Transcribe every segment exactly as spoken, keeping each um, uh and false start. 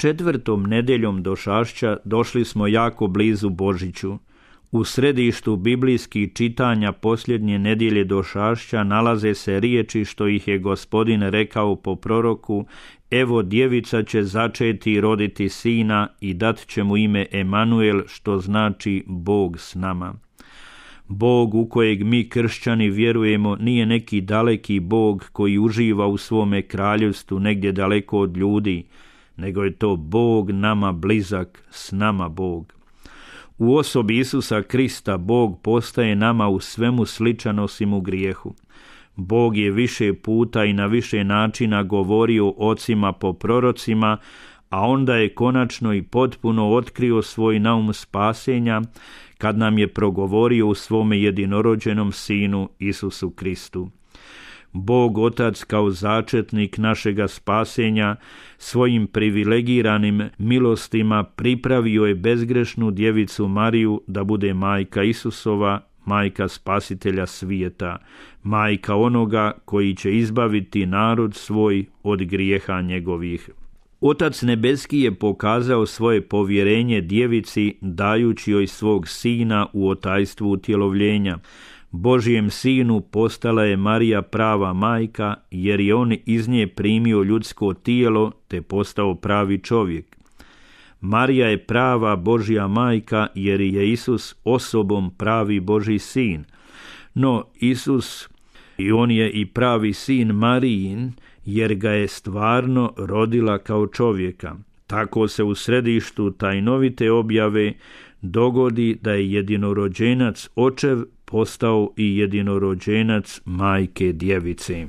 Četvrtom nedeljom došašća došli smo jako blizu Božiću. U središtu biblijskih čitanja posljednje nedjelje došašća nalaze se riječi što ih je Gospodin rekao po proroku: evo djevica će začeti i roditi sina i dat će mu ime Emanuel, što znači Bog s nama. Bog u kojeg mi kršćani vjerujemo nije neki daleki Bog koji uživa u svome kraljevstvu negdje daleko od ljudi, nego je to Bog nama blizak, s nama Bog. U osobi Isusa Krista Bog postaje nama u svemu sličan osim u grijehu. Bog je više puta i na više načina govorio ocima po prorocima, a onda je konačno i potpuno otkrio svoj naum spasenja kad nam je progovorio u svome jedinorođenom Sinu Isusu Kristu. Bog Otac kao začetnik našega spasenja svojim privilegiranim milostima pripravio je bezgrešnu djevicu Mariju da bude majka Isusova, majka spasitelja svijeta, majka onoga koji će izbaviti narod svoj od grijeha njegovih. Otac nebeski je pokazao svoje povjerenje djevici dajući joj svog sina u otajstvu utjelovljenja. Božjem sinu postala je Marija prava majka, jer je on iz nje primio ljudsko tijelo te postao pravi čovjek. Marija je prava Božja majka, jer je Isus osobom pravi Božji sin. No Isus, i on je i pravi sin Marijin, jer ga je stvarno rodila kao čovjeka. Tako se u središtu tajnovite objave dogodi da je jedinorođenac očev postao i jedinorođenac majke djevice.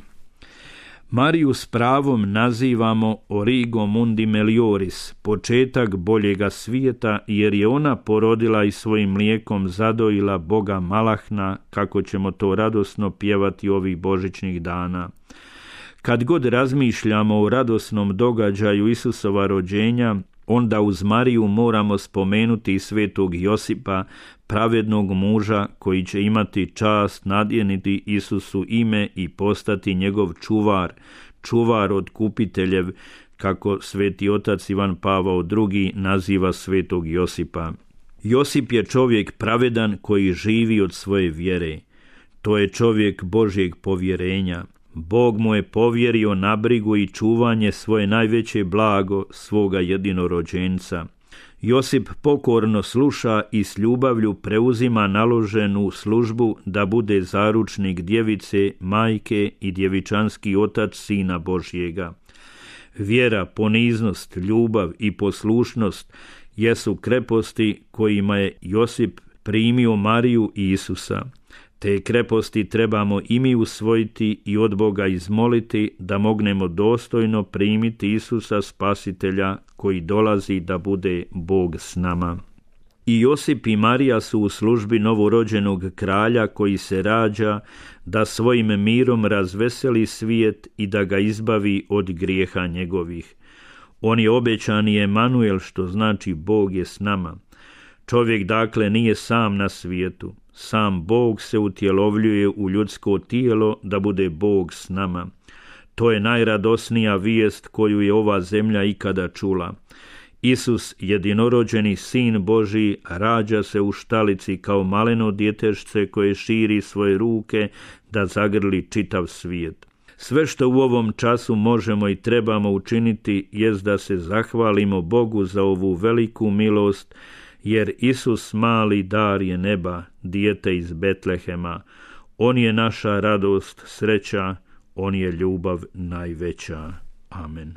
Mariju s pravom nazivamo Origo Mundi Melioris, početak boljega svijeta, jer je ona porodila i svojim mlijekom zadojila Boga Malahna, kako ćemo to radosno pjevati ovih božićnih dana. Kad god razmišljamo o radosnom događaju Isusova rođenja, onda uz Mariju moramo spomenuti i svetog Josipa, pravednog muža koji će imati čast nadjeniti Isusu ime i postati njegov čuvar, čuvar otkupiteljev, kako sveti otac Ivan Pavao drugi naziva svetog Josipa. Josip je čovjek pravedan koji živi od svoje vjere. To je čovjek Božjeg povjerenja. Bog mu je povjerio na brigu i čuvanje svoje najveće blago, svoga jedinorođenca. Josip pokorno sluša i s ljubavlju preuzima naloženu službu da bude zaručnik djevice, majke i djevičanski otac Sina Božjega. Vjera, poniznost, ljubav i poslušnost jesu kreposti kojima je Josip primio Mariju i Isusa. Te kreposti trebamo i mi usvojiti i od Boga izmoliti da mognemo dostojno primiti Isusa Spasitelja koji dolazi da bude Bog s nama. I Josip i Marija su u službi novorođenog kralja koji se rađa da svojim mirom razveseli svijet i da ga izbavi od grijeha njegovih. On je obećani Emanuel, što znači Bog je s nama. Čovjek dakle nije sam na svijetu. Sam Bog se utjelovljuje u ljudsko tijelo da bude Bog s nama. To je najradosnija vijest koju je ova zemlja ikada čula. Isus, jedinorođeni Sin Božji, rađa se u štalici kao maleno djetešce koje širi svoje ruke da zagrli čitav svijet. Sve što u ovom času možemo i trebamo učiniti jest da se zahvalimo Bogu za ovu veliku milost, jer Isus mali dar je neba, dijete iz Betlehema. On je naša radost, sreća, on je ljubav najveća. Amen.